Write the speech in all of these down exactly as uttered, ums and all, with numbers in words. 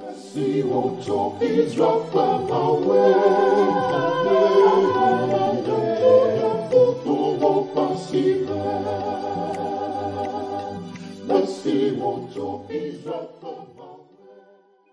Si wotsɔ Israel ƒe Mawue, futɔwo ƒe asi me. Esi wotsɔ Israel ƒe Mawue.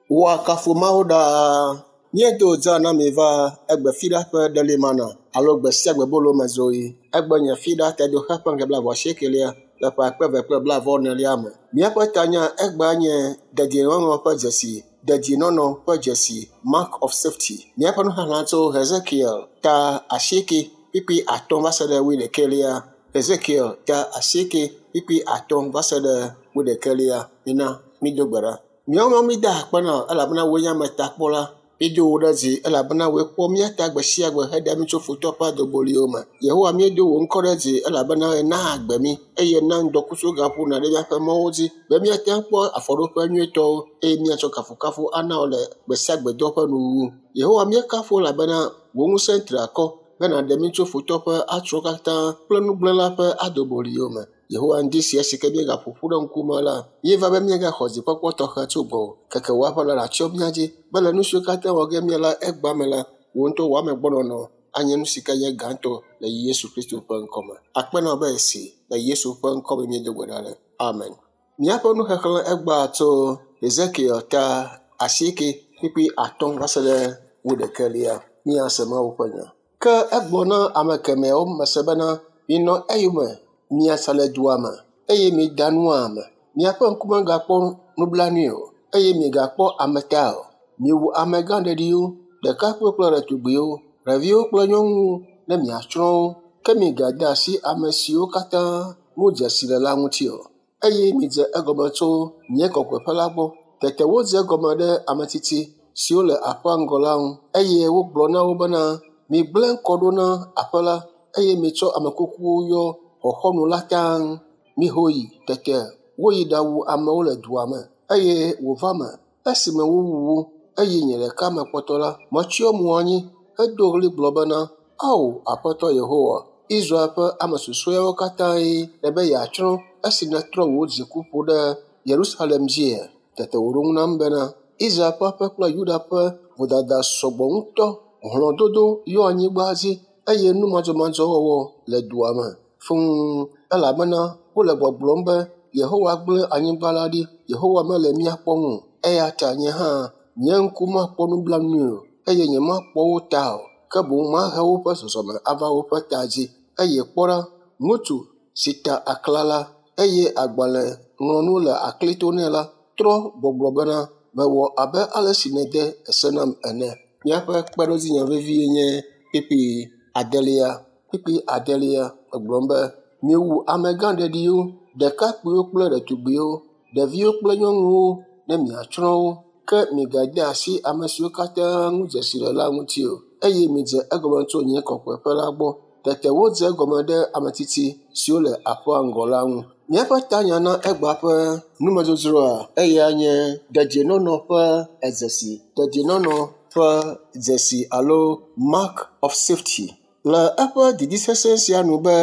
Woakafu Mawu ɖaa. Míedo dza na mi va egbe fiɖa ƒe ɖelimana alo gbe sia gbe bolo me zoɣi. Egbe nye fiɖa tedoxe ƒe ŋkeke blaeve-vɔ-asiekelia le ƒe akpe eve kple blaeve-vɔ-enelia me. Míaƒe tanya egbea nye dedienɔnɔ ƒe dzesi, dedienɔnɔ ƒe dzesi, mark of safety. Míaƒe nuxexlẽ tso Hezekiel ta asieke kpukpui atɔ̃ va se ɖe wuiɖekɛlia. Hezekiel ta asieke kpukpui atɔ̃ va se ɖe wuiɖekɛlia. Mina mído gbe ɖa. Míawo hã mída akpe na wò elabena wòe nye ametakpɔla. Míedo wò ɖe dzi elabena wòe kpɔ mía ta gbe sia gbe heɖe mí tso futɔ ƒe adoboliwo me. Yehowa míedo wò ŋkɔ ɖe dzi elabena ena agbe mí eye ena ŋdɔkutsu gaƒona ɖe míaƒe mɔwo dzi be míate ŋu akpɔ afɔɖoƒe nyuietɔwo eye míatsɔ kafukafu ana wò le gbe sia gbe dɔ ƒe nuwuwu. Yehowa míekafu wò elabena wò ŋusẽ tri akɔ be nàɖe mí tso futɔ ƒe atrɔwo katã kple nugblẽla ƒe adoboliwo me. Yehowa ŋdi sia si ke míegaƒo ƒu ɖe ŋkume la, míeva be míagaxɔ dzikpɔkpɔ tɔxɛ tso gbɔwò. Keke wò aƒe la nàtsyɔ mía dzi be le nu siwo katã wɔ ge míala egbea me la, wò ŋutɔ wò amegbɔnɔnɔ anye nu si ke nye gãtɔ le Yesu Kristo ƒe ŋkɔme. Akpe na wò be esi le Yesu ƒe ŋkɔme míedo gbe ɖa le. Amen. Míaƒe nuxexlẽ egbea tso Hezekiel ta asieke kpukpui atɔ̃ va se ɖe wuiɖekɛlia. Míase Mawu ƒe nya. Ke egblɔ na ame kemɛawo mese bena, minɔ eyome miasa le dua me eye mida nua me. Miaƒe ŋkume gakpɔ nublanui o eye migakpɔ ame ta o. Miwu amegã ɖeɖiwo, ɖekakpuiwo kple ɖetugbiwo, ɖeviwo kple nyɔnuwo ne miatsrɔ̃ wo. Ke migade asi ame siwo katã ŋu dzesi le la ŋuti o. Eye midze egɔme tso nye kɔkɔeƒe la gbɔ. Tete wodze egɔme ɖe ame tsitsi siwo le aƒea ŋgɔ la ŋu eye wogblɔ na wo bena, migblẽ kɔ ɖo na aƒe la eye mitsɔ ame kukuwo yɔ xɔxɔnu la taŋ. Miho yi. Tete woyi ɖawu amewo le dua me eye wòva me esime wowu wo eye nye ɖeka mekpɔtɔ la, metsyɔ mo anyi hedo ɣli gblɔ bena, Ao, Aƒetɔ Yehowa, Israel ƒe ame susɔeawo katãe nèbe yeatsrɔ̃ esi nètrɔ wò dziku ƒo ɖe Yerusalem dzia? Tete wòɖo ŋu nam bena, Israel ƒe aƒe kple Yuda ƒe vodada sɔgbɔ ŋutɔ. Hlɔ̃dodo yɔ anyigba dzi eye nu madzɔmadzɔ wɔwɔ le dua me fũu elabena wole gbɔgblɔm be Yehowa gblẽ anyigba la ɖi, Yehowa mele mía kpɔm o. Eya ta nye hã nye ŋku makpɔ nublanui o eye nyemakpɔ wo ta o, ke boŋ mahe woƒe zɔzɔme ava woƒe ta dzi. Eye kpɔ ɖa, ŋutsu si ta aklala eye agbalẽ ŋlɔnu le aklito nɛ la trɔ gbɔgblɔ bena, mewɔ abe ale si nède ese nam ene. Míaƒe kpeɖodzinya vevie nye kpukpui adelia. Kpukpui adelia egblɔm be, miwu amegã ɖeɖiwo, ɖekakpuiwo kple ɖetugbiwo, ɖeviwo kple nyɔnuwo ne miatsrɔ̃ wo. Ke migade asi ame siwo katã ŋu dzesi le la ŋuti o. Eye midze egɔme tso nye kɔkɔeƒe la gbɔ. Tete wodze egɔme ɖe ame tsitsi siwo le aƒea ŋgɔ la ŋu. Míaƒe tanya na egbea ƒe numedzodzroa eya nye dedienɔnɔ ƒe dzesi. Dedienɔnɔ ƒe dzesi alo mark of safety. Le eƒe didi sesẽ sia nu be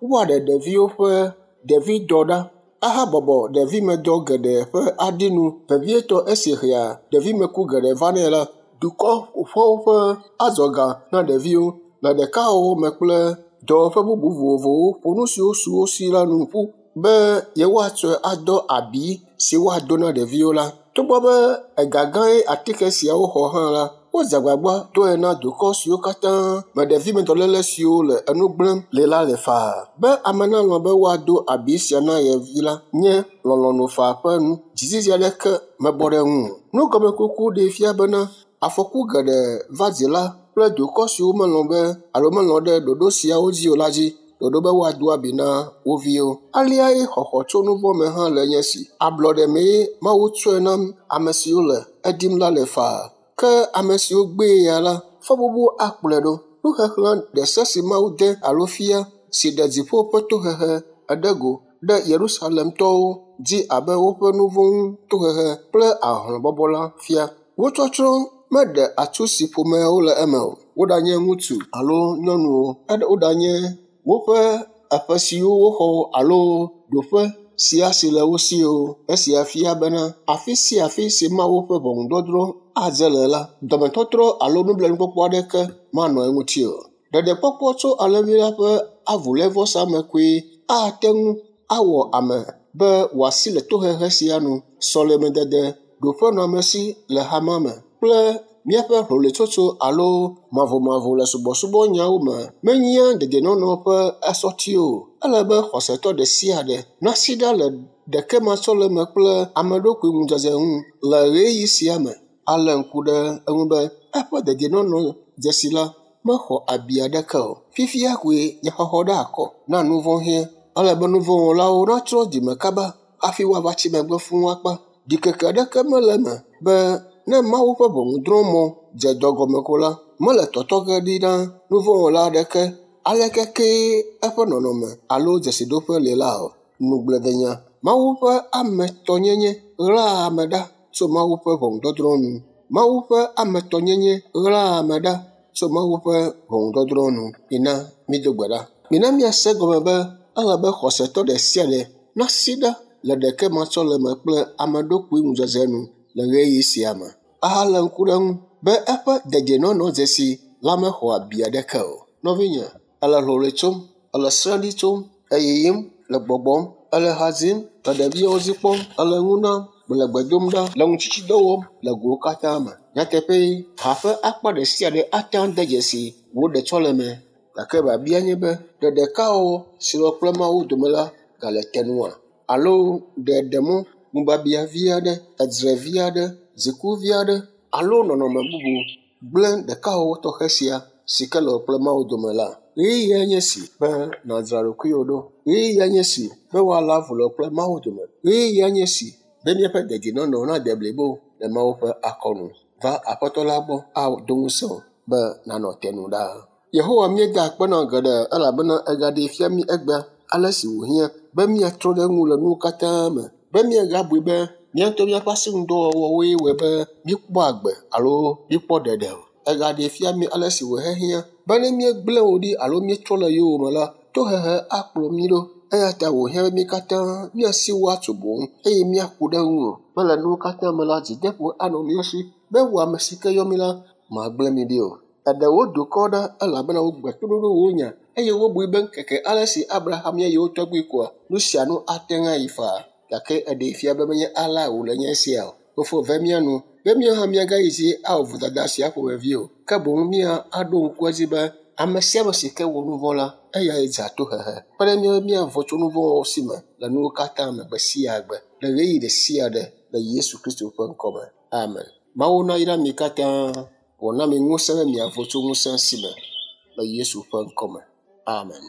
woaɖe ɖeviwo ƒe ɖevidɔ ɖa ahabɔbɔ ɖevimedɔ geɖe ƒe aɖinu vevietɔ esi hea ɖevimeku geɖe vanɛ la, dukɔ ƒoƒuawo ƒe adzɔga na ɖeviwo le ɖekawɔwɔ me kple dɔwɔƒe bubu vovovowo ƒo nu siwo su wo si la nu ƒu be yewoatsɔe adɔ abi si woado na ɖeviwo la. Togbɔ be ega gãe atike siawo xɔ hã la, wodze agbagba doe na dukɔ siwo katã me ɖevimedɔléle siwo le enu gblẽm le la le faa. Be ame nalɔ̃ be woado abi sia na ye vi la nye lɔlɔ̃nu faa ƒe nu. Dzizizi aɖeke mebɔ ɖe eŋu o. Nugɔmekuku ɖee fia bena afɔku geɖe va dzila kple dukɔ siwo melɔ̃ be alo melɔ̃ ɖe ɖoɖo siawo dzi o la dzi. Ɖoɖo be woado abi na wo viwo. Aleae xɔxɔ tso nu vɔ̃ me hã le nye si. Ablɔɖe mee Mawu tsɔe nam ame siwo le edim la le faa. Ke ame siwo gbee ya la, fɔbubu akplɔe ɖo. Nuxexlẽ ɖe se si Mawu de alo fia si ɖe dziƒo ƒe tohehe eɖe go ɖe Yerusalemtɔwo dzi abe woƒe nu vɔ̃ ŋu tohehe kple ahlɔ̃bɔbɔ la fia. Wo tsɔtsrɔ̃ meɖe atsu si ƒomeawo le eme o. Woɖanye ŋutsu alo nyɔnuwo, woɖanye woƒe aƒe siwo woxɔ alo ɖoƒe sia si le wo si o. Esia fia bena afi sia afi si Mawu ƒe ʋɔnudɔdrɔ̃ adze le la, dɔmetɔtrɔ alo nublanuikpɔkpɔ aɖeke manɔ eŋuti o. Ɖeɖekpɔkpɔ tso alẽvi la ƒe avulévɔsa me koe ate ŋu awɔ ame be wòasi le tohehe sia nu. Sɔlemedede, ɖoƒenɔamesi le hamea me kple míaƒe hloloetsotso alo mavomavo le subɔsubɔnyawo me menyea dedienɔnɔ ƒe esɔti o. Ele be xɔsetɔ ɖe sia ɖe nasi ɖa le ɖekematsɔleme kple ameɖokui ŋudzedze ŋu le ɣeyiɣi sia me alé ŋku ɖe eŋu be eƒe dedienɔnɔ dzesi la mexɔ abi aɖeke o. Fifia koe nyaxɔxɔ ɖe akɔ na nu vɔ̃ hiã. Ele be nuvɔ̃wɔlawo natrɔ dzime kaba hafi woava tsi megbe fũu akpa. Ɖikeke aɖeke mele eme be ne Mawu ƒe ʋɔnudrɔ̃mɔ dze dɔ gɔme ko la, mele tɔtɔ ge ɖi na nuvɔ̃wɔla aɖeke aleke kee eƒe nɔnɔme alo dzesiɖoƒe li la o. Nugblẽdenya. Mawu ƒe ametɔnyenye ɣlaa ame ɖa tso Mawu ƒe ʋɔnudɔdrɔ̃ nu. Mawu ƒe ametɔnyenye ɣlaa ame ɖa tso Mawu ƒe ʋɔnudɔdrɔ̃ nu. Mina mído gbe ɖa. Mina míase gɔme be ele be xɔsetɔ ɖe sia ɖe nasi ɖa le ɖekematsɔleme kple ameɖokui ŋudzedze nu le ɣeyiɣi sia me ahalé ŋku ɖe eŋu be eƒe dedienɔnɔ dzesi la mexɔ abi aɖeke o. Nɔvinye, ele hloloe tsom, ele srẽɖi tsom, eyiyim, le gbɔgbɔm, ele ha dzim, le ɖeviwo dzi kpɔm, ele nu nam, le gbe dom ɖa, le ŋutsitsidɔ wɔm le gowo katã me. Nyateƒee, ha ƒe akpa ɖe sia ɖe ate ŋu ade dzesi wò ɖetsɔleme. Gake biabia nye be, ɖe ɖekawɔwɔ si le wò kple Mawu dome la gale te nua? Alo ɖe ɖe mɔ ŋubiabiã vi aɖe, edzre vi aɖe, dziku vi aɖe alo nɔnɔme bubu gblẽ ɖekawɔwɔ tɔxɛ sia si ke le wò kple Mawu dome la? Ɣeyiɣia nye esi be nàdzra ɖokuiwò ɖo. Ɣeyiɣia nye esi be woalé avu le wò kple Mawu dome. Ɣeyiɣia nye esi be míaƒe dedienɔnɔ nade blibo le Mawu ƒe akɔnu. Va Aƒetɔ la gbɔ ado ŋusẽ wò be nànɔ te nu ɖaa. Yehowa míeda akpe na wò geɖe elabena ègaɖee fia mí egbea ale si wòhiã be míatrɔ ɖe eŋu le nuwo katã me, be míagabui be mía ŋutɔ míaƒe asinudɔwɔwɔwoe wɔe be míekpɔ agbe alo míekpɔ ɖeɖe o. Ègaɖee fia mí ale si wòhehiã be ne míegblẽ wò ɖi alo míetrɔ le yowòme la, tohehe akplɔ mí ɖo. Eya ta wòhiã be mí katã míasi wò atso boŋ eye míaku ɖe ŋuwò be le nuwo katã me la, dzideƒo anɔ mía si be wò ame si ke yɔ mí la, màgblẽ mí ɖi o. Eɖe wò dukɔ ɖa elabena wogbe toɖoɖo wò nya eye wobui be ŋkeke ale si Abraham nye yewo tɔgbui koa, nu sia nu ate ŋu ayi faa. Gake eɖee fia be menye alea wòle nye esia o. Fofo ve mía nu be míawo hã míagayi dzi awɔ vodada sia ƒomevi o. Ke boŋ mía aɖo ŋku edzi be ame sia ame si ke wɔ nu vɔ̃ la, eyae dze tohehe. Kpe ɖe mía míavo tso nu vɔ̃wɔwɔ si me le nuwo katã me gbe sia gbe le ɣeyiɣi ɖe sia ɖe le Yesu Kristo ƒe ŋkɔme. Amen. Mawu nayra mi katã wòna mi ŋusẽ be miavo tso ŋusẽ si me le Yesu ƒe ŋkɔme. Amen.